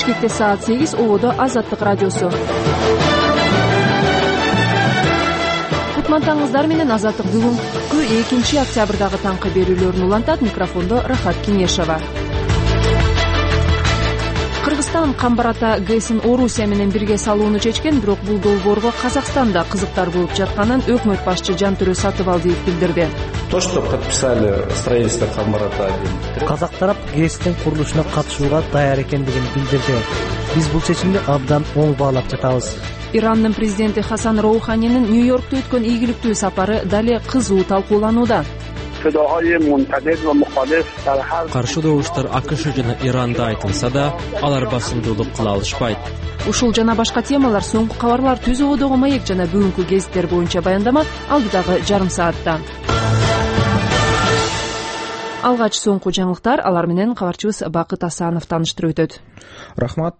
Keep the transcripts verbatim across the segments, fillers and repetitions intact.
Бишкекте саат сегиз, Ободо Азаттык радиосу. Кутмантаңыздар менен Азаттык бүгүнкү экинчи октябрдагы таңкы берүүлөрүн улантат. Микрофондо Рахат Кенешова. Кыргызстан Камбар ата ГЭСин Орусия менен бирге салууну чечкен, бирок бул долбоорго Казакстан да кызыктар болуп жатканын өкмөт башчы Жантөрө Сатыбалдиев билдирди. То, что подписали строительство Камбар ата один. Казак тарап ГЭСтин курулушуна катышууга даяр экендигин билдирди. Биз бул чечимди абдан оң баалап жатабыз. Ирандын президенти Хасан Роуханинин Нью-Йоркто өткөн ийгиликтүү сапары дали кызуу талкууланууда. Каршы добуштар АКШ жана Иранда айтылса да, алар басымдуулук кыла алышпайт. Ушул жана башка темалар соңку кабарлар Түз Ободогу маек жана бүгүнкү гезиттер боюнча баяндама алдыдагы жарым саатта. Алгач соңку жаңылыктар, алар менен кабарчыбыз Бакыт Асанов тааныштырып өтөт. Рахмат.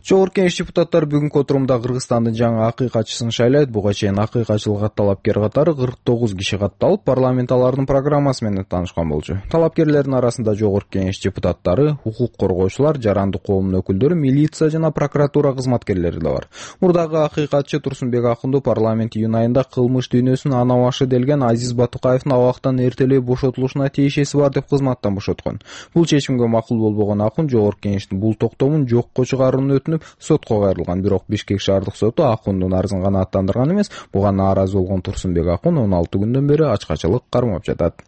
Жогорку Кеңеш депутаттары бүгүнкү отурумда Кыргызстандын жаңы акыйкатчысын шайлайт. Буга чейин акыйкатчылыкка талапкер катары кырк тогуз киши катталып, парламент алардын программасы менен таанышкан болчу. Талапкерлердин арасында Жогорку Кеңеш депутаттары, укук коргоочулар, жарандык коомдун өкүлдөрү, милиция жана прокуратура кызматкерлери да бар. Мурдагы акыйкатчы Турсунбек Акунду парламент июнь айында кылмыш дүйнөсүн ана башы делген Азиз Батукаевдин абактан эртелей бошотулушуна тиешеси бар деп кызматтан бошоткон. Бул чечимге макул болбогон Акун Жогорку Кеңештин бул токтомун жокко чыгарууну өтүнүп, сотко кайрылган. Бирок Бишкек шаардык соту Акундун арызын канааттандырган эмес. Буга нааразы болгон Турсунбек Акун он алты күндөн бери ачкачылык кармап жатат.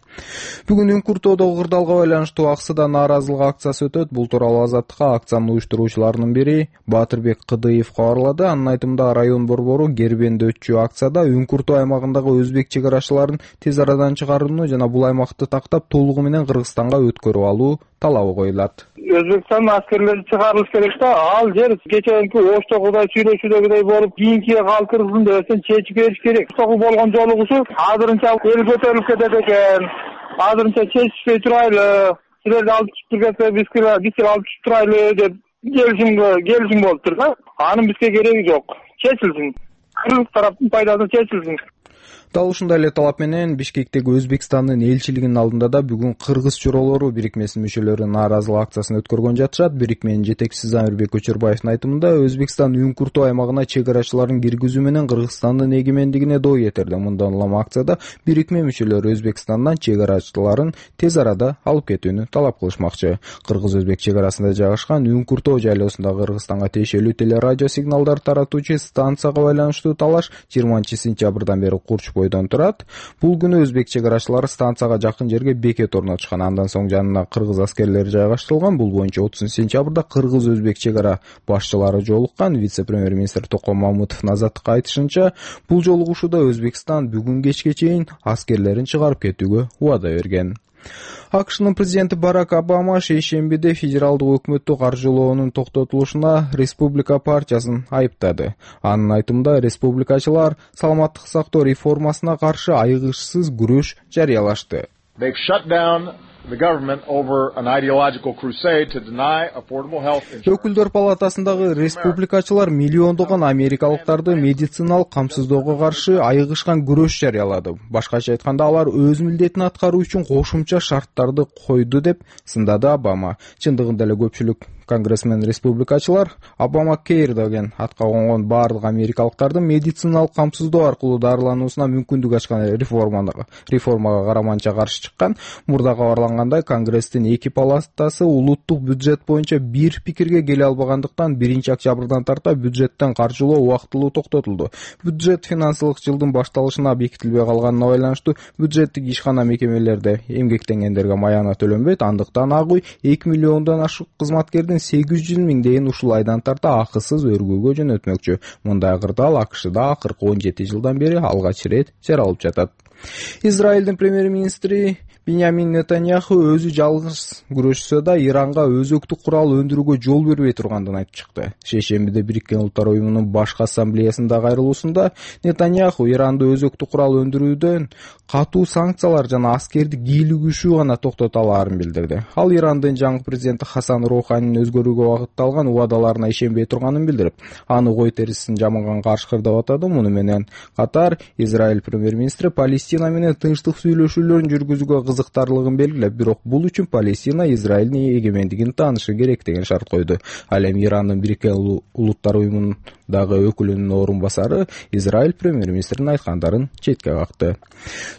Бүгүн Үңкүртөөдөгү кырдаалга байланыштуу Аксыда нааразылык акциясы өтөт. Бул тууралуу Азаттыкка акциянын уюштуруучуларынын бири Батырбек Кыдыев кабарлады. Анын айтымында район борбору Гербенде өтчү акцияда Үңкүртөө аймагындагы өзбек чек арачыларын тез арадан чыгарууну жана бул аймакты тактап толугу менен Кыргызстанга өткөрүп алуу талабы коюлат. Өзбекстан аскерлери чыгарылыш керек да, ал жер кечээки Оштогудай сүйлөшүүдөгүдөй болуп, кийинки калтырсын дебесин чечип бериш керек. Оштогу болгон жолугушуу азырынча эл көтөрүлүп кетет экен. Азырынча чечишпей турайлы, силерди алып чыгып кетсе биз биз алып чыгып турайлы деп келишимге келишим болуптур да. Анын бизге кереги жок. Чечилсин. Кыргыз тараптын пайдасына чечилсин. Дал ушундай эле талап менен Бишкектеги Өзбекстандын элчилигинин алдында да бүгүн Кыргыз чуролору бирикмесинин мүчөлөрү нааразылык акциясын өткөргөн жатышат. Бирикменин жетекчиси Замирбек Көчөрбаевдин айтымында Өзбекстан Үңкүртөө аймагына чек арачыларын киргизүү менен Кыргызстандын эгемендигине доо кетирди. Мындан улам акцияда бирикме мүчөлөрү Өзбекстандан чек арачыларын тез арада алып кетүүнү талап кылышмакчы. Кыргыз-өзбек чек арасында жайгашкан Үңкүртөө жайлоосунда Кыргызстанга тиешелүү телерадио сигналдар таратуучу станцияга байланыштуу талаш жыйырманчы сентябрдан бери курч бойдон турат. Бул күнү өзбек чек арачылары станцияга жакын жерге бекет орнотушкан. Андан соң жанына кыргыз аскерлери жайгаштырылган. Бул боюнча отузунчу сентябрда кыргыз-өзбек чек ара башчылары жолуккан. Вице-премьер-министр Токон Мамутовдун Азаттыкка айтышынча, бул жолугушууда Өзбекстан бүгүн кечке чейин аскерлерин чыгарып кетүүгө убада берген. АКШнын президенти Барак Обама шейшембиде федералдык өкмөттү каржылоонун токтотулушуна Республика партиясын айыптады. Анын айтымында республикачылар саламаттык сактоо реформасына каршы айыгышсыз күрөш жарыялашты. Өкүлдөр палатасындагы республикачылар миллиондогон америкалыктарды медициналык камсыздоого каршы айыгышкан күрөш жарыялады. Башкача айтканда, алар өз милдетин аткаруу үчүн кошумча шарттарды койду деп сындады Обама. Чындыгында эле көпчүлүк конгрессмен республикачылар Обама Кейр деген атка конгон баардык америкалыктардын медициналык камсыздоо аркылуу дарылануусуна мүмкүндүк ачкан реформага реформага караманча каршы чыккан. Мурда кабарлангандай, Конгресстин эки палатасы улуттук бюджет боюнча бир пикирге келе албагандыктан биринчи октябрдан тарта бюджеттен каржылоо убактылуу токтотулду. Бюджет финансылык жылдын башталышына бекитилбей калганына байланыштуу бюджеттик ишкана мекемелерде эмгектенгендерге маяна төлөнбөйт. Андыктан ак үй эки миллиондон ашык кызматкердин сегиз жүз миңдейин ушул айдан тарта акысыз өргүүгө жөнөтмөкчү. Мындай кырдаал АКШда акыркы он жети жылдан бери алгач ирет жаралып жатат. Израилдин премьер-министри Биньямин Нетаньяху өзү жалгыз күрөшсө да Иранга өзөктүк курал өндүрүүгө жол бербей тургандыгын айтып чыкты. Шейшембиде Бириккен Улуттар уюмунун башкы ассамблеясында кайрылуусунда Нетаньяху Иранды өзөктүк курал өндүрүүдөн катуу санкциялар жана аскердик кийлигишүү гана токтото алаарын билдирди. Ал Ирандын жаңы президенти Хасан Роуханинин өзгөрүүгө багытталган убадаларына ишенбей турганын билдирип, аны кой терисин жаманган каршкыр деп атады. Муну менен катар Израиль премьер-министри Палестина менен тынчтык сүйлөшүүлөрүн жүргүзүүгө кызыктарлыгын белгилеп, бирок бул үчүн Палестина Израилдин эгемендигин таанышы керек деген шарт койду. Ал эми Ирандын Бириккен Улуттар уюмундагы өкүлүнүн орун басары Израиль премьер-министринин айткандарын четке какты.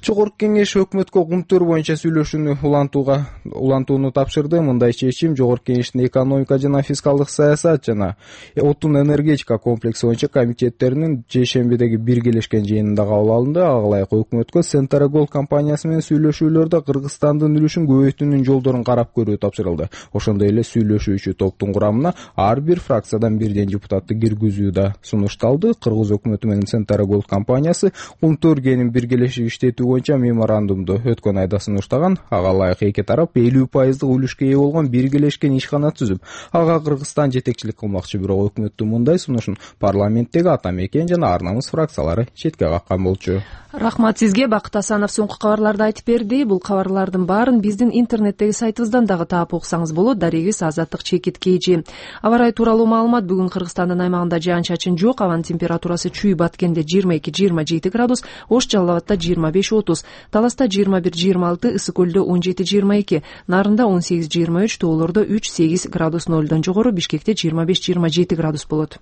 Жогорку кеңеш өкмөткө кумтөр боюнча сүйлөшүүнү улантууга улантууну тапшырды. Мындай чечим Жогорку кеңештин экономика жана фискалдык саясат жана отун энергетика комплекси боюнча комитеттеринин жекшембидеги биргелешкен жыйынында кабыл алынды. Ага ылайык өкмөткө Центрагол компаниясы менен сүйлөшүүлөрдө Кыргызстандын үлүшүн көбөйтүүнүн жолдорун карап көрүү тапшырылды. Ошондой эле сүйлөшүүчү топтун курамына ар бир фракциядан бирден депутатты киргизүү да сунушталды. Кыргыз өкмөтү менен Центрагол компаниясы кумтөр кенин биргелешип иштетүү боюнча меморандумду өткөн айда сунуштаган. Ага ылайык эки тарап элүү пайыздык үлүшкө ээ болгон биргелешкен ишкана түзүп, ага Кыргызстан жетекчилик кылмакчы. Бирок өкмөттүн мындай сунушун парламенттеги Ата Мекен жана Ар Намыс фракциялары четке каккан болчу. Рахмат сизге. Бакыт Асанов соңку кабарларды айтып берди. Бул кабарлардын баарын биздин интернеттеги сайтыбыздан дагы таап окусаңыз болот. Дарегиз Азаттык Чекит Кейжи. Аба ырайы тууралуу маалымат. Бүгүн Кыргызстандын аймагында жаан-чачын жок. Абанын температурасы Чүй Баткенде жыйырма эки жыйырма жети градус, Ош Жалал Абадта жыйырма беш отуз, Таласта жыйырма бир жыйырма алты, Ысык Көлдө он жети жыйырма эки, Нарында он сегиз жыйырма үч, Тоолордо үч сегиз градус нолдон жогору, Бишкекте жыйырма беш жыйырма жети градус болот.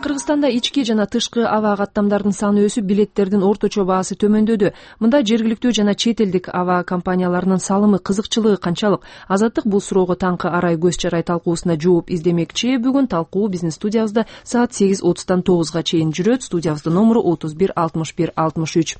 Кыргызстанда ички жана тышкы аба каттамдардын саны өсүп, билеттердин орточо баасы төмөндөдү. Мында жергиликтүү жана чет элдик аба компанияларынын салымы, кызыкчылыгы канчалык? Азаттык бул суроого таңкы арай көз чарай талкуусуна жооп издемекчи. Бүгүн талкуу биздин студиябызда саат сегиз отуздан тогузга чейин жүрөт. Студиябыздын номуру отуз бир алтымыш бир алтымыш үч.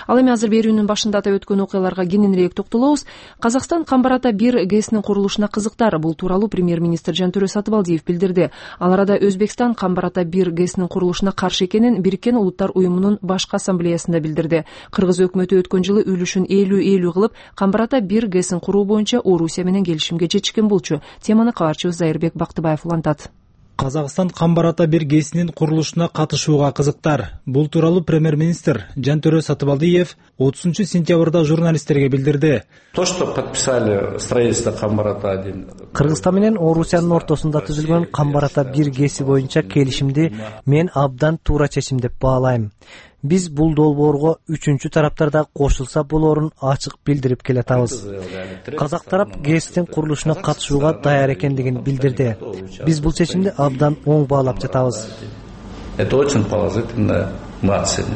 Ал эми азыр берүүнүн башында атап өткөн окуяларга кененирээк токтолобуз. Казакстан Камбар Ата бир ГЭСинин курулушуна кызыктар. Бул тууралуу премьер-министр Жантөрө Сатыбалдиев билдирди. Ал арада Өзбекстан Камбар Ата бир ГЭСинин курулушуна каршы экенин Бириккен Улуттар уюмунун башкы ассамблеясында билдирди. Кыргыз өкмөтү өткөн жылы үлүшүн элүү элүү кылып, Камбар Ата бир ГЭСин куруу боюнча Орусия менен келишимге жетишкен болчу. Теманы кабарчыбыз Зайырбек Бактыбаев улантат. Казакстан Камбар Ата бир ГЭСинин курулушуна катышууга кызыктар. Бул тууралуу премьер-министр Жантөрө Сатыбалдиев отузунчу сентябрда журналисттерге билдирди. То, что подписали строительство Камбар Ата один. Кыргызстан менен Орусиянын ортосунда түзүлгөн Камбар Ата бир ГЭСи боюнча келишимди мен абдан туура чечим деп баалайм. Биз бул долбоорго үчүнчү тараптар да кошулса болоорун ачык билдирип келатабыз. Казак тарап ГЭСтин курулушуна катышууга даяр экендигин билдирди. Биз бул чечимди абдан оң баалап жатабыз. Это очень положительно, мы оценим.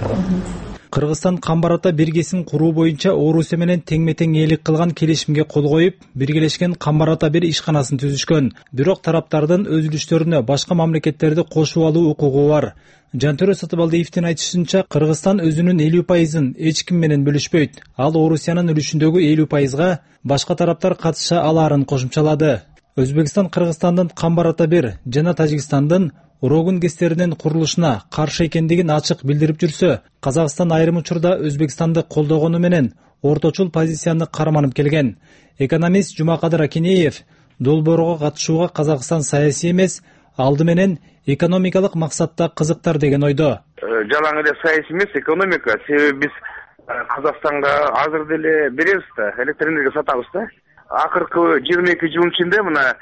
Кыргызстан Камбар Ата бир ГЭСин куруу боюнча Орусия менен теңме-тең ээлик кылган келишимге кол коюп, биргелешкен Камбар Ата бир ишканасын түзүшкөн. Бирок тараптардын өз үлүштөрүнө башка мамлекеттерди кошуп алуу укугу бар. Жантөрө Сатыбалдиевдин айтышынча, Кыргызстан өзүнүн элүү пайызын эч ким менен бөлүшпөйт. Ал Орусиянын үлүшүндөгү элүү пайызга башка тараптар катыша алаарын кошумчалады. Өзбекстан Кыргызстандын Камбар Ата бир жана Тажикстандын Урогун ГЭСтеринин курулушуна каршы экендигин ачык билдирип жүрсө, Казакстан айрым учурда Өзбекстанды колдогону менен орточул позицияны карманып келген. Экономист Жумакадыр Акинеев долбоорго катышууга Казакстан саясий эмес, алды менен экономикалык максатта кызыктар деген ойдо. Жалаң эле саясий эмес, экономика. Себеби биз Казакстанга азыр деле беребиз да, электр энергия сатабыз да. Акыркы жыйырма эки жыл ичинде мына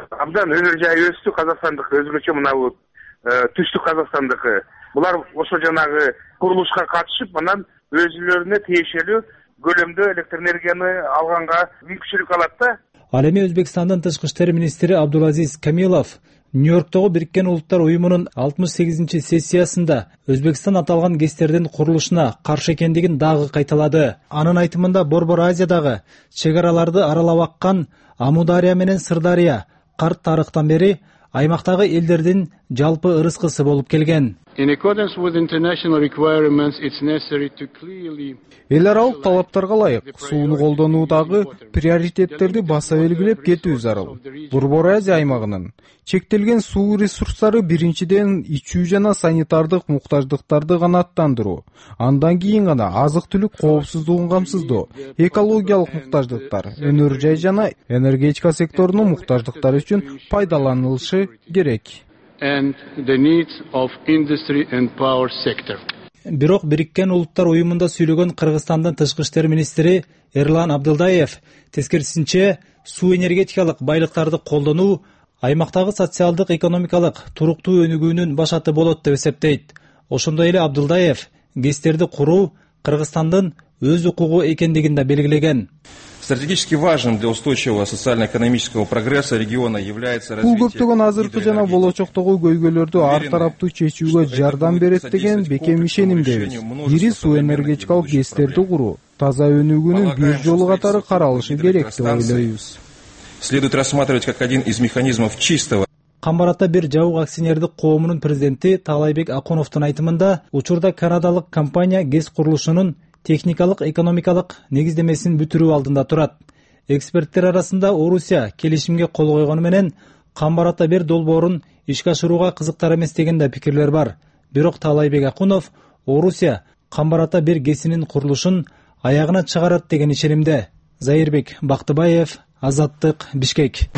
абдан өнөр жайы өстү. Казакстандыкы өзгөчө мына бул түштүк Казакстандыкы. Булар ошо жанагы курулушка катышып, анан өзүлөрүнө тиешелүү көлөмдө электр энергияны алганга мүмкүнчүлүк алат да. Ал эми Өзбекстандын тышкы иштер министри Абдулазиз Камилов Нью-Йорктогу Бириккен Улуттар уюмунун алтымыш сегизинчи сессиясында Өзбекстан аталган ГЭСтердин курулушуна каршы экендигин дагы кайталады. Анын айтымында Борбор Азиядагы чек араларды аралап аккан Амудария менен Сырдария карт тарыхтан бери аймактагы элдердин жалпы ырыскысы болуп келген. Эл аралык талаптарга ылайык сууну колдонуудагы приоритеттерди баса белгилеп кетүү зарыл. Борбор Азия аймагынын чектелген суу ресурстары биринчиден ичүү жана санитардык муктаждыктарды канааттандыруу, андан кийин гана азык-түлүк коопсуздугун камсыздоо, экологиялык муктаждыктар, өнөр жай жана энергетика секторунун муктаждыктары үчүн пайдаланылышы керек. And the needs of industry and power sector. Бирок Бириккен Улуттар уюмунда сүйлөгөн Кыргызстандын тышкы иштер министри Эрлан Абдылдаев тескерисинче суу энергетикалык байлыктарды колдонуу аймактагы социалдык экономикалык туруктуу өнүгүүнүн башаты болот деп эсептейт. Ошондой эле Абдылдаев ГЭСтерди куруу Кыргызстандын өз укугу экендигин да белгилеген. Стратегически важным для устойчивого социально-экономического прогресса региона является развитие. Бул көптөгөн азыркы жана болочоктогу көйгөйлөрдү ар тараптуу чечүүгө жардам берет деген бекем ишенимдебиз. Бири суу энергетикалык ГЭСтерди куруу, таза өнүгүүнүн бир жолу катары каралышы керек деп ойлойбуз. Следует рассматривать как один из механизмов чистого. Камбар-Ата бир жабык акционердик коомунун президенти Таалайбек Акуновдун айтымында, учурда канадалык компания ГЭС курулушунун техникалык экономикалык негиздемесин бүтүрүү алдында турат. Эксперттер арасында Орусия келишимге кол койгону менен Камбар-Ата бир долбоорун ишке ашырууга кызыктар эмес деген да пикирлер бар. Бирок Таалайбек Акунов Орусия Камбар-Ата бир ГЭСинин курулушун аягына чыгарат деген ишенимде. Зайырбек Бактыбаев, Азаттык, Бишкек.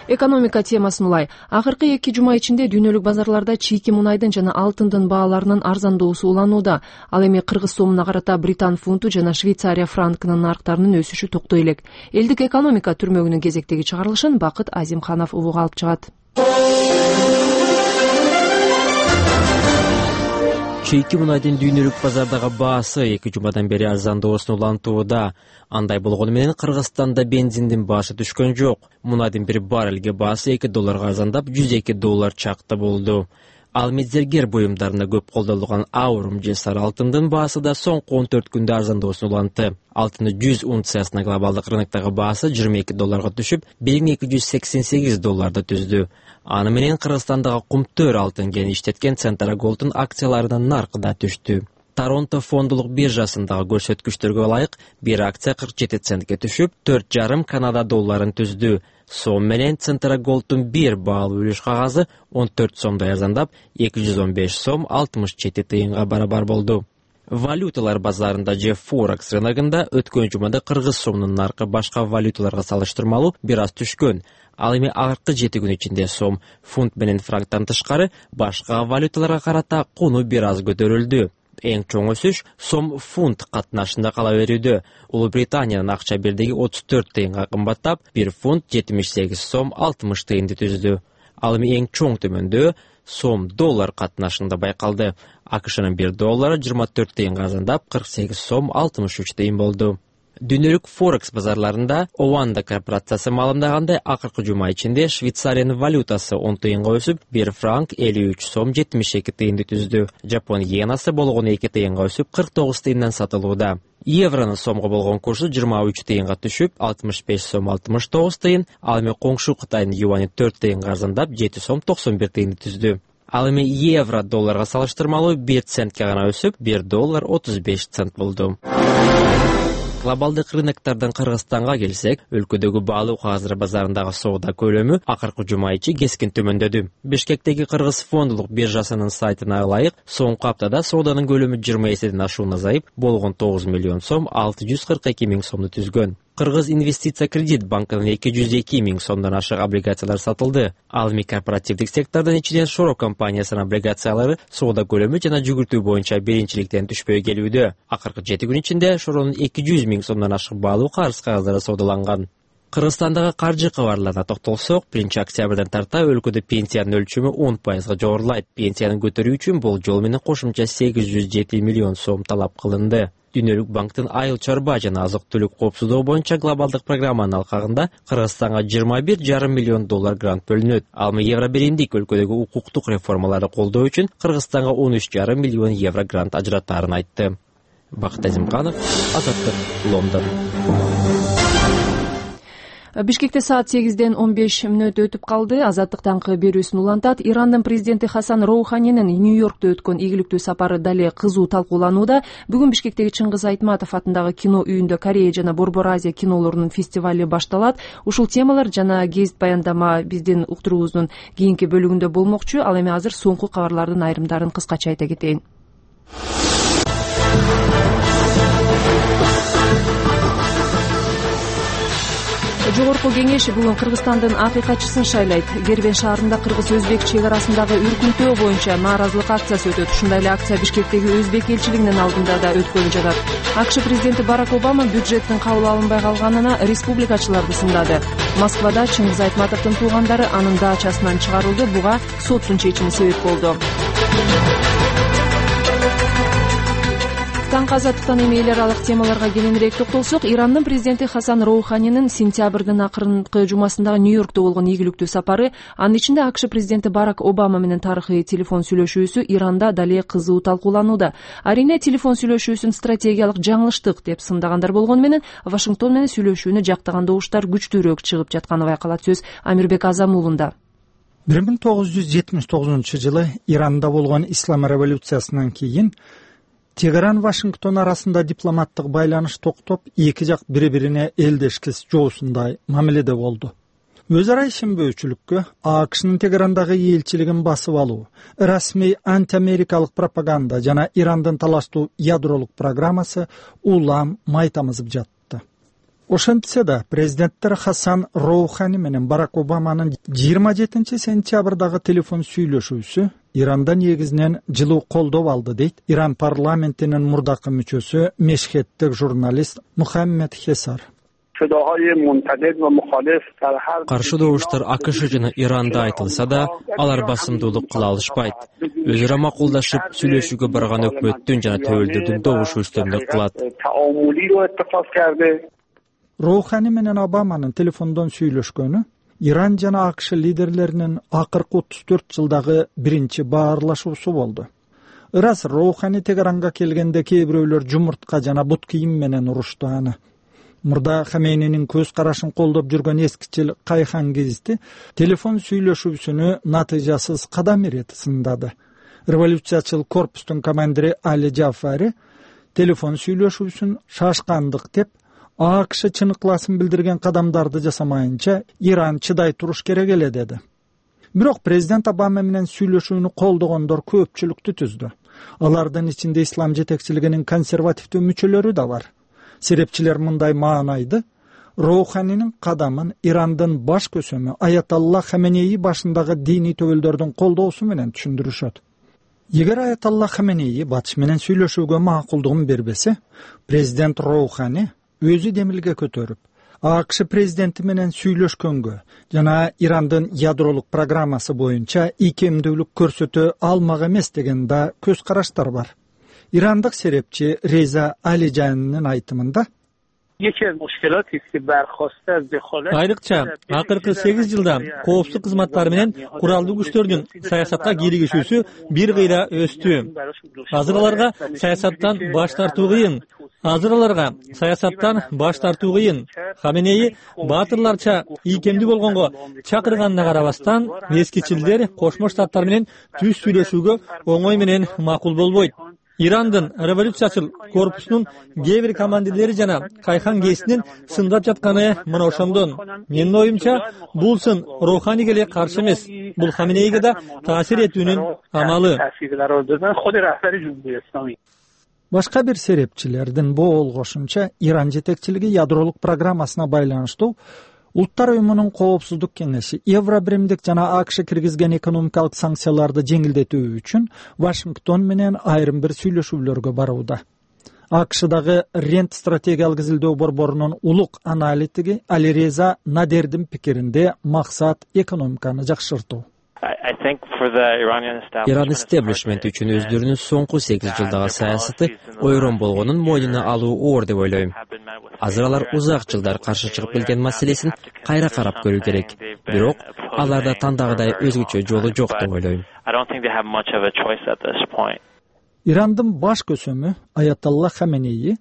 Экономика темасы мулай. Акыркы эки жума ичинде дүйнөлүк базарларда чийки мунайдын жана алтындын бааларынын арзандоосу уланууда. Ал эми кыргыз сомуна карата британ фунту жана Швейцария франкынын нарктарынын өсүшү токтой элек. Элдик экономика түрмөгүнүн кезектеги чыгарылышын Бакыт Азимханов угууга алып чыгат. Чийки мунайдын дүйнөлүк базардагы баасы эки жумадан бери арзандоосун улантууда. Андай болгону менен Кыргызстанда бензиндин баасы түшкөн жок. Мунайдын бир баррелге баасы эки долларга арзандап жүз эки доллар чакта болду. Ал меззергер буюмдарына көп колдонулган аурум же сары алтындын баасы да соңку он төрт күндө арзандоосун улантты. Алтындын жүз унциясына глобалдык рыноктогу баасы жыйырма эки долларга түшүп, бир миң эки жүз сексен сегиз долларда түздү. Аны менен Кыргызстандагы кумтөр алтын кени иштеткен Центра Голдтун акцияларынын наркы да түштү. Торонто фондулук биржасындагы көрсөткүчтөргө ылайык бир акция кырк жети центке түшүп, төрт жарым Канада долларын түздү. Сом менен Центра Голдтун бир баалуу үлүш кагазы он төрт сомдой арзандап, эки жүз он беш сом алтымыш жети тыйынга барабар болду. Валюталар базарында же Форекс рыногунда өткөн жумада кыргыз сомунун наркы башка валюталарга салыштырмалуу бир аз түшкөн. Ал эми акыркы жети күн ичинде сом, фунт менен франктан тышкары башка валюталарга карата куну бир аз көтөрүлдү. Эң чоң өсүш сом фунт катнашында кала берүүдө. Улуу Британиянын акча бирдиги отуз төрт тыйынга кымбаттап, бир фунт жетимиш сегиз сом алтымыш тыйынды түздү. Ал эми эң чоң төмөндөө сом доллар катнашында байкалды. АКШнын бир доллары жыйырма төрт тыйынга арзандап, кырк сегиз сом алтымыш үч тыйын болду. Дүйнөлүк Форекс базарларында Ованда корпорациясы маалымдагандай, акыркы жума ичинде Швейцариянын валютасы он тыйынга өсүп, бир франк элүү үч сом жетимиш эки тыйынды түздү. Жапон йенасы болгону эки тыйынга өсүп, кырк тогуз тыйындан сатылууда. Евронун сомго болгон курсу жыйырма үч тыйынга түшүп, алтымыш беш сом алтымыш тогуз тыйын, ал эми коңшу Кытайдын юани төрт тыйынга арзандап, жети сом токсон бир тыйынды түздү. Ал эми евро долларга салыштырмалуу бир центке гана өсүп, бир доллар отуз беш цент болду. Глобалдык рыноктардан Кыргызстанга келсек, өлкөдөгү баалуу кагаздар базарындагы соода көлөмү акыркы жума ичи кескин төмөндөдү. Бишкектеги Кыргыз фондулук биржасынын сайтына ылайык, соңку аптада сооданын көлөмү жыйырма эседен ашуун азайып, болгон тогуз миллион сом алты жүз кырк эки миң сомду түзгөн. Кыргыз инвестиция кредит банкынын эки жүз эки миң сомдон ашык облигациялар сатылды. Ал эми корпоративдик сектордон ичинен Шоро компаниясынын облигациялары соода көлөмү жана жүгүртүү боюнча биринчиликтен түшпөй келүүдө. Акыркы жети күн ичинде Шоронун эки жүз миң сомдон ашык баалуу карыз кагаздары соодаланган. Кыргызстандагы каржы кабарларына токтолсок, биринчи октябрдан тарта өлкөдө пенсиянын өлчөмү он пайызга жогорулайт. Пенсияны көтөрүү үчүн болжол менен кошумча сегиз жүз жети миллион сом талап кылынды. Дүйнөлүк банктын айыл чарба жана азык-түлүк коопсуздугу боюнча глобалдык программанын алкагында Кыргызстанга жыйырма бир жарым миллион доллар грант бөлүнөт. Ал эми евро биримдик өлкөдөгү укуктук реформаларды колдоо үчүн Кыргызстанга он үч жарым миллион евро грант ажыратаарын айтты. Бакыт Азимканов, Азаттык, Лондон. Бишкекте саат сегизден он беш мүнөт өтүп калды. Азаттык таңкы берүүсүн улантат. Ирандын президенти Хасан Роуханинин Нью-Йоркто өткөн ийгиликтүү сапары дале кызуу талкууланууда. Бүгүн Бишкектеги Чыңгыз Айтматов атындагы кино үйүндө Корея жана Борбор Азия кинолорунун фестивали башталат. Ушул темалар жана гезит баяндама биздин уктуруубуздун кийинки бөлүгүндө болмокчу. Ал эми азыр соңку кабарлардын айрымдарын кыскача айта кетейин. Жогорку кеңеш бүгүн Кыргызстандын акыйкатчысын шайлайт. Кербен шаарында кыргыз-өзбек чек арасындагы үркүнтөө боюнча нааразылык акциясы өтөт. Ушундай эле акция Бишкектеги өзбек элчилигинин алдында да өткөнү жатат. АКШ президенти Барак Обама бюджеттин кабыл алынбай калганына республикачыларды сындады. Москвада Чыңгыз Айтматовдун туугандары анын дачасынан чыгарылды. Буга соттун чечими себеп болду. Таңкы азаттыктан эми эл аралык темаларга кененирээк токтолсок, Ирандын президенти Хасан Роуханинин сентябрдын акыркы жумасындагы Нью-Йоркто болгон ийгиликтүү сапары, анын ичинде АКШ президенти Барак Обама менен тарыхый телефон сүйлөшүүсү Иранда дале кызуу талкууланууда. Арине телефон сүйлөшүүсүн стратегиялык жаңылыштык деп сындагандар болгону менен Вашингтон менен сүйлөшүүнү жактаган добуштар күчтүүрөөк чыгып жатканы байкалат. Сөз Амирбек Азамуулунда. бир миң тогуз жүз жетимиш тогузунчу жылы Иранда болгон ислам революциясынан кийин Тегеран Вашингтон арасында дипломаттык байланыш токтоп, эки жак бири-бирине элдешкис жоосундай мамиледе болду. Өз ара ишенбөөчүлүккө АКШнын Тегерандагы элчилигин басып алуу, расмий антиамерикалык пропаганда жана Ирандын талаштуу ядролук программасы улам май тамызып жатты. Ошентсе да президенттер Хасан Роухани менен Барак Обаманын жыйырма жетинчи сентябрдагы телефон сүйлөшүүсү Иранда негизинен жылуу колдоо алды, дейт Иран парламентинин мурдакы мүчөсү, мешхеттик журналист Мухаммед Хесар. Каршы добуштар АКШ жана Иранда айтылса да, алар басымдуулук кыла алышпайт. Өз ара макулдашып сүйлөшүүгө барган өкмөттүн жана төбөлдөрдүн добушу үстөмдүк кылат. Роухани менен Обаманын телефондон сүйлөшкөнү Иран жана АКШ лидерлеринин акыркы отуз төрт жылдагы биринчи баарлашуусу болду. Ырас Роухани Тегеранга келгенде кээ бирөөлөр жумуртка жана бут кийим менен урушту аны. Мурда Хаменинин көз карашын колдоп жүргөн эскичил Кайхан Гезити телефон сүйлөшүүсүнү натыйжасыз кадам ирет сындады. Революциячыл корпустун командири Али Джафари телефон сүйлөшүүсүн шашкандык деп, АКШ чыныкласын билдирген кадамдарды жасамайынча Иран чыдай туруш керек эле деди. Бирок президент Обама менен сүйлөшүүнү колдогондор көпчүлүктү түздү. Алардын ичинде ислам жетекчилигинин консервативдүү мүчөлөрү да бар. Серепчилер мындай маанайды: Роуханинин кадамын Ирандын баш көсөмү Аятолла Хаменеи башындагы диний төбөлдөрдүн колдоосу менен түшүндүрүшөт. Эгер Аятолла Хаменеи батыш менен сүйлөшүүгө макулдугун бербесе, президент Роухани өзү демилге көтөрүп, АКШ президенти менен сүйлөшкөнгө жана Ирандын ядролук программасы боюнча ийкемдүүлүк көрсөтө алмак эмес деген да көз караштар бар. Ирандык серепчи Реза Алижанынын айтымында, айрыкча акыркы сегиз жылда коопсуздук кызматтары менен куралдуу күчтөрдүн саясатка кийлигишүүсү бир кыйра өстү. Азыр аларга саясаттан баш тартуу кыйын. Азыр аларга саясаттан баш тартуу кыйын. Хаменеи баатырларча ийкемдүү болгонго чакырганына карабастан, эскичилдер Кошмо Штаттар менен түз сүйлөшүүгө оңой менен макул болбойт. Ирандын революциячыл корпусунун кээ бир командирлери жана Кайхан Гезитинин сындап жатканы мына ошондон. Менин оюмча, бул сын Роуханиге эле каршы эмес, бул Хаменеиге да таасир этүүнүн амалы. Башка бир серепчилердин боолгошунча, Иран жетекчилиги ядролук программасына байланыштуу Улуттар уюмунун коопсуздук кеңеши Евробиримдик жана АКШ киргизген экономикалык санкцияларды жеңилдетүү үчүн Вашингтон менен айрым бир сүйлөшүүлөргө барууда. АКШдагы Рент стратегиялык изилдөө борборунун улук аналитиги Алиреза Надердин пикиринде максат экономиканы жакшыртуу. Иран истеблишменти үчүн өздөрүнүн соңку сегиз жылдагы саясаты ойрон болгонун мойнуна алуу оор деп ойлойм. Азыр алар узак жылдар каршы чыгып келген маселесин кайра карап көрүү керек. Бирок аларда тандагыдай өзгөчө жолу жок деп ойлойм. Ирандын баш көсөмү Аятолла Хаменеи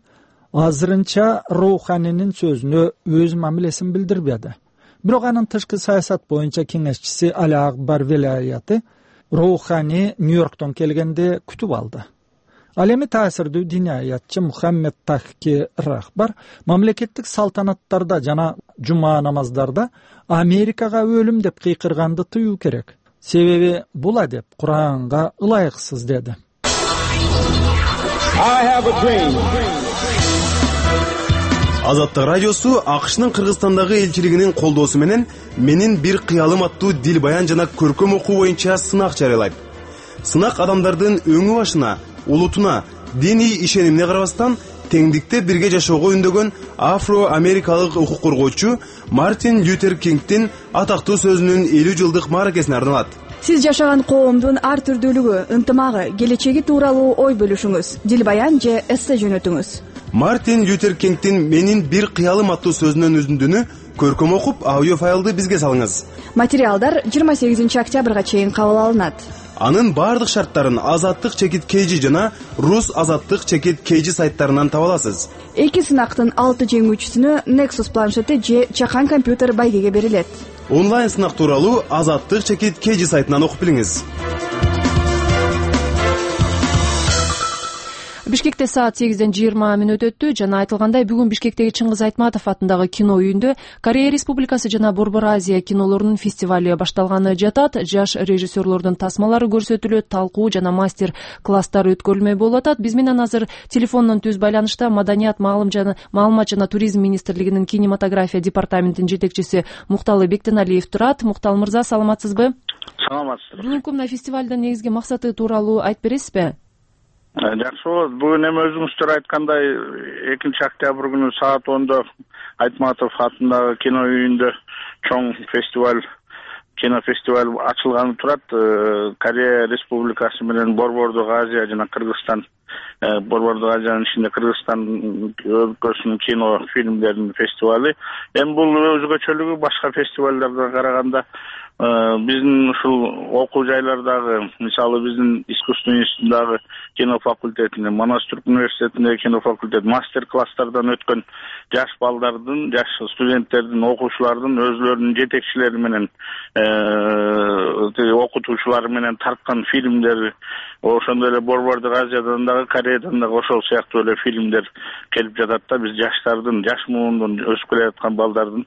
азырынча Роуханинин сөзүнө өз мамилесин билдирбеди. Бирок анын тышкы саясат боюнча кеңешчиси Али Акбар Велаяты Роухани Нью-Йорктон келгенде күтүп алды. Ал эми таасирдүү диниаятчы Мухаммед Тахки Рахбар мамлекеттик салтанаттарда жана жума намаздарда Америкага өлүм деп кыйкырганды тыюу керек. Себеби бул адеп Куранга ылайыксыз деди. Азаттык радиосу АКШнын Кыргызстандагы элчилигинин колдоосу менен менин бир кыялым аттуу дил баян жана көркөм окуу боюнча сынак жарыялайт. Сынак адамдардын өңү башына, улутуна, диний ишенимине карабастан теңдикте бирге жашоого үндөгөн афро-америкалык укук коргоочу Мартин Лютер Кингдин атактуу сөзүнүн элүү жылдык мааракесине арналат. Сиз жашаган коомдун ар түрдүүлүгү, ынтымагы, келечеги тууралуу ой бөлүшүңүз, дил баян же эссе жөнөтүңүз. Мартин Лютер Кингдин менин бир кыялым аттуу сөзүнүн үзүндүнү көркөм окуп, аудио файлды бизге салыңыз. Материалдар жыйырма сегизинчи октябрга чейин кабыл алынат. Анын баардык шарттарын Азаттык чекит kg жана Рус Азаттык чекит kg сайттарынан таба аласыз. Эки сынактын алты жеңүүчүсүнө Nexus планшети же чакан компьютер байгеге берилет. Онлайн сынак тууралуу Азаттык чекит kg сайтынан окуп билиңиз. Бишкекте саат сегизден жыйырма мүнөт өттү. Жана айтылгандай, бүгүн Бишкектеги Чыңгыз Айтматов атындагы кино үйүндө Корея Республикасы жана Борбор Азия кинолорунун фестивали башталганы жатат. Жаш режиссерлордун тасмалары көрсөтүлөт, талкуу жана мастер класстар өткөрүлмөй болуп атат. Биз менен азыр телефондон түз байланышта Маданият, маалымат жана туризм министрлигинин кинематография департаментинин жетекчиси Мукталы Бектеналиев турат. Муктал мырза, саламатсызбы? Саламатсызбы. Бүгүнкү мына фестивалдын негизги максаты тууралуу айтып бересизби? Жакшы болот. Бүгүн эми өзүңүздөр айткандай экинчи октябрь күнү саат ондо Айтматов атындагы кино үйүндө чоң фестиваль, кино фестиваль ачылганы турат. Корея Республикасы менен Борбордук Азия жана Кыргызстан, Борбордук Азиянын ичинде Кыргызстан өлкөсүнүн кино фильмдеринин фестивалы. Эми бул өзгөчөлүгү башка фестивалдарга караганда биздин ушул окуу жайлардагы, мисалы биздин искусство институтундагы кино факультетинде, Манас Түрк университетиндеги кино факультет мастер класстардан өткөн жаш балдардын, жаш студенттердин, окуучулардын өзлөрүнүн жетекчилери менен, окутуучулары менен тарткан фильмдер, ошондой эле Борбордук Азиядан дагы, Кореядан дагы ошол сыяктуу эле фильмдер келип жатат да. Биз жаштардын, жаш муундун, өсүп келе жаткан балдардын,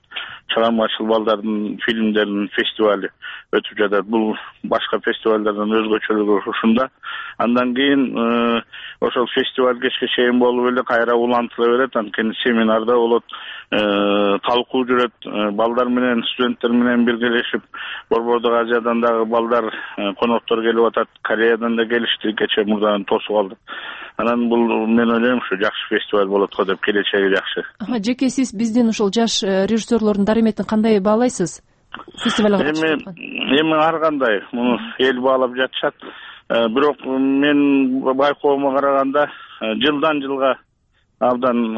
чыгармачыл балдардын фильмдеринин фестивали өтүп жатат. Бул башка фестивалдардан өзгөчөлүгү ушунда. Андан кийин ошол фестиваль кечке чейин болуп эле кайра улантыла берет. Анткени семинарда болот, талкуу жүрөт, балдар менен, студенттер менен биргелешип, Борбордук Азиядан дагы балдар, коноктор келип атат, Кореядан да келишти, кече мурдан тосуп алдык. Анан бул мен ойлойм ушу жакшы фестиваль болот го деп, келечеги жакшы. Жеке сиз биздин ушул жаш режиссерлордун дарыметин кандай баалайсыз? Фестивалга эми эми ар кандай муну эл баалап жатышат. Бирок мен байкоомо караганда жылдан жылга абдан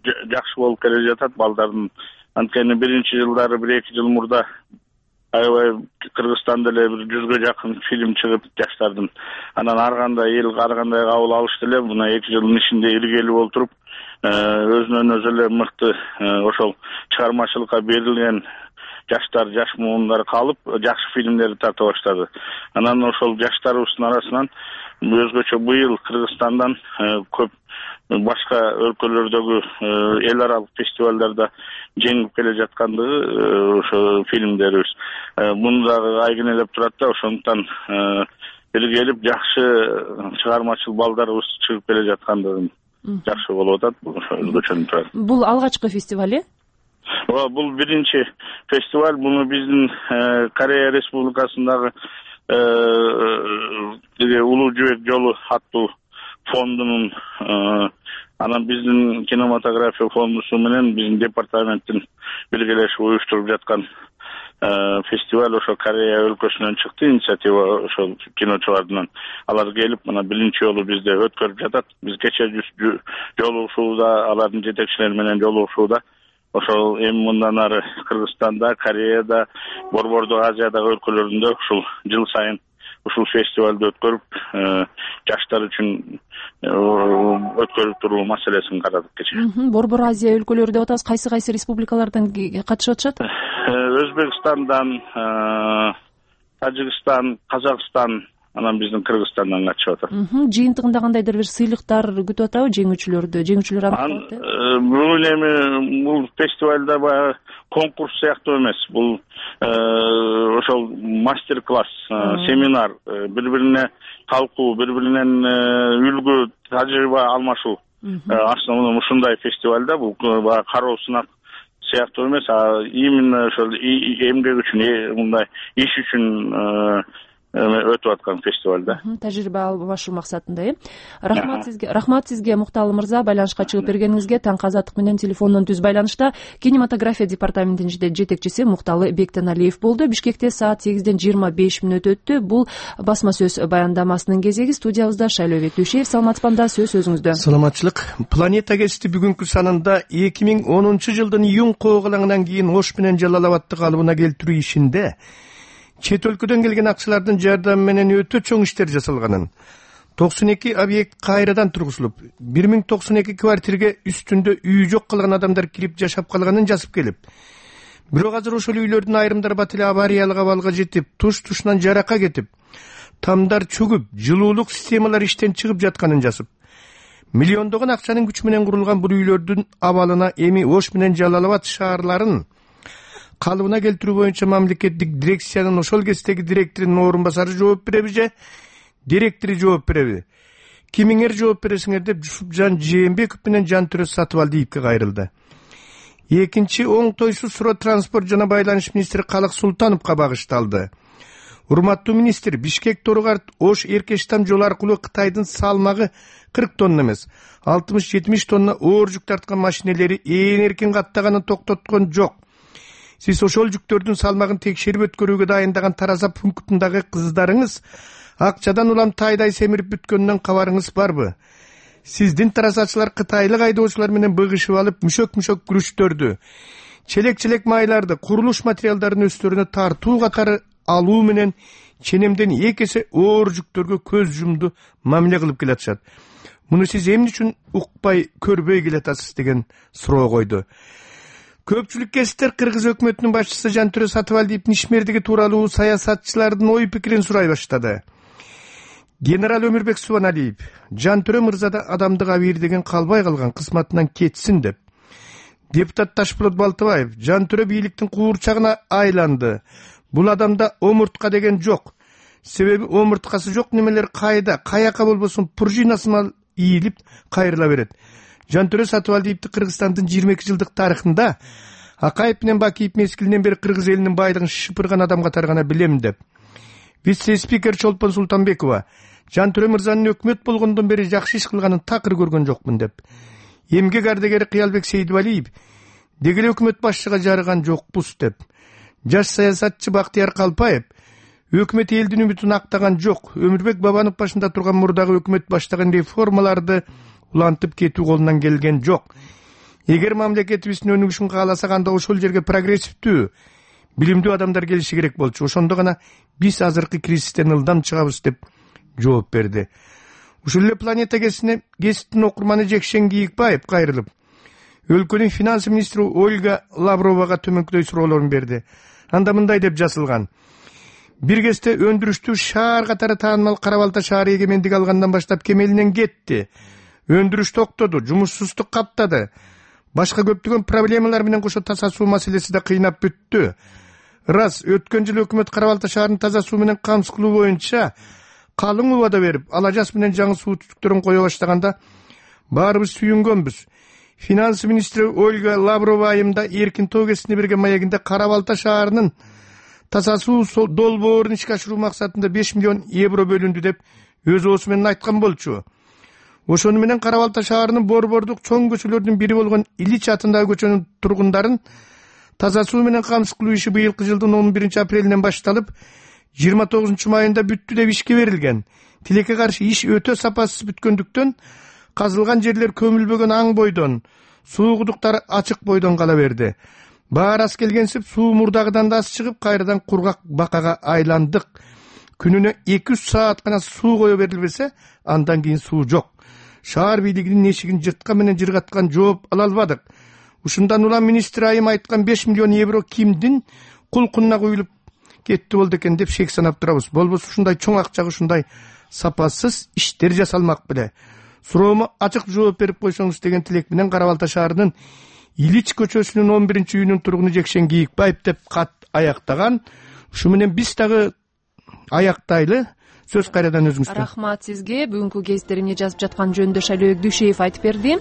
жакшы болуп келе жатат балдардын. Анткени биринчи жылдары бир эки жыл мурда аябай Кыргызстанда эле бир жүзгө жакын фильм чыгып жаштардын. Анан ар кандай эл ар кандай кабыл алышты эле. Мына эки жылдын ичинде илгери болтуруп, өзүнөн өзү эле мыкты ошол чыгармачылыкка берилген жаштар, жаш муундар калып, жакшы фильмдерди тарта баштады. Анан ошол жаштарыбыздын арасынан өзгөчө быйыл Кыргызстандан көп башка өлкөлөрдөгү эл аралык фестивалдарда жеңип келе жаткандыгы ошо фильмдерибиз. Муну дагы айгинелеп турат да, ошондуктан бир келип жакшы чыгармачыл балдарыбыз чыгып келе жаткандыгын жакшы болуп атат. Бул өзгөчөнүп турат. Бул алгачкы фестиваль э? Бул биринчи фестиваль. Муну биздин Корея Республикасындагы Улуу жибек жолу аттуу фондунун, анан биздин кинематография фондусу менен биздин департаменттин биргелешип уюштуруп жаткан фестиваль ошо Корея өлкөсүнөн чыкты, инициатива ошол киночулардан. Алар келип, мына биринчи жолу бизде өткөрүп жатат. Биз кече жолугушууда, алардын жетекчилери менен жолугушууда. Ошол эми мындан ары Кыргызстанда, Кореяда, Борбордук Азиядагы өлкөлөрүндө ушул жыл сайын ушул фестивалды өткөрүп, жаштар үчүн өткөрүп туруу маселесин карадык кече. Борбор Азия өлкөлөрү деп атабыз. Кайсы кайсы республикалардан катышып атышат? Өзбекстандан, Тажикстан, Казакстан, анан биздин Кыргызстандан катышып атат. Жыйынтыгында кандайдыр бир сыйлыктар күтүп атабы жеңүүчүлөрдү? Жеңүүчүлөр аныкталат э? Бүгүн эми бул фестивалда баягы конкурс сыяктуу эмес. Бул ошол мастер-класс, семинар, бири-бирине талкуу, бири-биринен үлгү, тажрыйба алмашуу Основном ушундай фестивалда бул кароо сынак сыяктуу эмес, а именно ошол эмгек үчүн, мындай иш үчүн өтүп аткан фестивалда. Тажрыйба алмашуу максатында, э? Рахмат сизге. Рахмат сизге, Мукталы мырза, байланышка чыгып бергениңизге. Таңкы азаттык менен телефондон түз байланышта кинематография департаментинин жетекчиси Мукталы Бектеналиев болду. Бишкекте саат сегизден жыйырма беш мүнөт өттү. Бул басма сөз баяндамасынын кезеги. Студиябызда Шайлообек Түшеев. Саламатсызбы, сөз өзүңүздө. Саламатчылык. Планета гезити бүгүнкү санында эки миң онунчу жылдын июнь коогалаңынан кийин Ош менен Жалал Абадты калыбына келтирүү ишинде чет өлкөдөн келген акчалардын жардамы менен өтө чоң иштер жасалганын, токсон эки объект кайрадан тургузулуп, бир миң токсон эки квартирге үстүндө үй жок калган адамдар кирип жашап калганын жазып келип, бирок азыр ошол үйлөрдүн айрымдары бат эле авариялык абалга жетип, туш-тушунан жаракка кетип, тамдар чөгүп, жылуулук системалары иштен чыгып жатканын жазып, миллиондогон акчанын күчү менен курулган бул үйлөрдүн абалына эми Ош менен Жалал Абад шаарларын калыбына келтирүү боюнча мамлекеттик дирекциянын ошол кездеги директорунун орун басары жооп береби же директору жооп береби? Кимиңер жооп бересиңер деп Жусупжан Жээнбеков менен Жантүрө Сатыбалдиевке кайрылды. Экинчи оңтойсуз суроо транспорт жана байланыш министри Калык Султановго багышталды. Урматтуу министр, Бишкек Торугарт Ош Эркештам жолу аркылуу Кытайдын салмагы кырк тонна эмес, алтымыш жетимиш тонна оор жүк тарткан машинелери ээн эркин каттаганын токтоткон жок. Сиз ошол жүктөрдүн салмагын текшерип өткөрүүгө дайындаган тараза пунктундагы кыздарыңыз акчадан улам тайдай семирип бүткөнүнөн кабарыңыз барбы? Сиздин таразачылар кытайлык айдоочулар менен быгышып алып, мүшөк-мүшөк күрүчтөрдү, челек-челек майларды, курулуш материалдарын өздөрүнө тартуу катары алуу менен ченемден эки эсе оор жүктөргө көз жумду мамиле кылып келатышат. Муну сиз эмне үчүн укпай, көрбөй келатасыз деген суроо койду. Көпчүлүк кесиптер Кыргыз өкмөтүнүн башчысы Жантүрө Сатыбалдиевдин ишмердиги тууралуу саясатчылардын ой пикирин сурай баштады. Генерал Өмүрбек Субаналиев, Жантүрө мырза да адамдык абийирдеген калбай калган, кызматынан кетсин деп. Депутат Ташболот Балтыбаев, Жантүрө бийликтин куурчагына айланды. Бул адамда омуртка деген жок. Себеби омурткасы жок немелер кайда, каяка болбосун пружинасына ийилип кайрыла берет. Жантүрө Сатыбалдиевди Кыргызстандын жыйырма эки жылдык тарыхында Акаев менен Бакиев мезгилинен бери кыргыз элинин байлыгын шыпырган адам катары гана билем деп. Вице-спикер Чолпон Султанбекова, Жантүрө мырзанын өкмөт болгондон бери жакшы иш кылганын такыр көргөн жокмун деп. Эмгек ардагери Кыялбек Сейдибалиев, деги эле өкмөт башчыга жарыган жокпуз деп. Жаш саясатчы Бактияр Калпаев, өкмөт элдин үмүтүн актаган жок. Өмүрбек Бабанов башында турган мурдагы өкмөт баштаган реформаларды улантып кетүү колунан келген жок. Эгер мамлекетибиздин өнүгүшүн кааласак, анда ошол жерге прогрессивдүү, билимдүү адамдар келиши керек болчу. Ошондо гана биз азыркы кризистен ылдам чыгабыз деп жооп берди. Ушул эле Планета гезитинин окурманы Жекшен Кийикбаев кайрылып, өлкөнүн финанс министри Ольга Лавровага төмөнкүдөй суроолорун берди. Анда мындай деп жазылган: бир кезде өндүрүштүү шаар катары таанымал Кара Балта шаары эгемендик алгандан баштап кемелинен кетти. Өндүрүш токтоду, жумушсуздук каптады. Башка көптөгөн проблемалар менен кошо таза суу маселеси да кыйнап бүттү. Рас, өткөн жылы өкмөт Кара Балта шаарын таза суу менен камсыз кылуу боюнча калың убада берип, ала жаз менен жаңы суу түтүктөрүн кое баштаганда баарыбыз сүйүнгөнбүз. Финанс министри Ольга Лаврова айымда Эркин тоо кезине берген маегинде Кара Балта шаарынын таза суу долбоорун ишке ашыруу максатында беш миллион евро бөлүндү деп өз оосу менен айткан болчу. Ошону менен Кара Балта шаарынын борбордук чоң көчөлөрдүн бири болгон Илич атындагы көчөнүн тургундарын таза суу менен камсыз кылуу иши быйылкы жылдын он биринчи апрелинен башталып, жыйырма тогузунчу майында бүттү деп ишке берилген. Тилекке каршы иш өтө сапасыз бүткөндүктөн казылган жерлер көмүлбөгөн аң бойдон, суу кудуктары ачык бойдон кала берди. Баары аз келгенсип суу мурдагыдан да аз чыгып, кайрадан кургак бакага айландык. Күнүнө эки жүз саат гана суу кое берилбесе, андан кийин суу жок. Шаар бийлигинин эшигин жырткан менен жыргаткан жооп ала албадык. Ушундан улам министр айым айткан беш миллион евро кимдин кулкунуна куюлуп кетти болду экен деп шек санап турабыз. Болбосо ушундай чоң акчага ушундай сапасыз иштер жасалмак беле. Суроомо ачык жооп берип койсоңуз деген тилек менен Кара Балта шаарынын Илич көчөсүнүн он биринчи үйүнүн тургуну Жекшен Кийикбаев деп кат аяктаган. Ушу менен биз дагы аяктайлы. сөз кайрадан өзүңүздө. Рахмат сизге. Бүгүнкү кездер эмне жазып жаткан жөнүндө Шайлообек Дүйшеев айтып берди.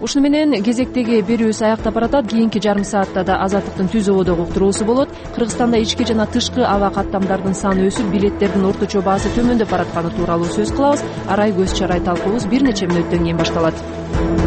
Ушуну менен кезектеги берүүбүз аяктап баратат. Кийинки жарым саатта да Азаттыктын түз ободогу уктуруусу болот. Кыргызстанда ички жана тышкы аба каттамдардын саны өсүп, билеттердин орточо баасы төмөндөп баратканы тууралуу сөз кылабыз. Арай көз чарай талкуубуз бир нече мүнөттөн кийин башталат.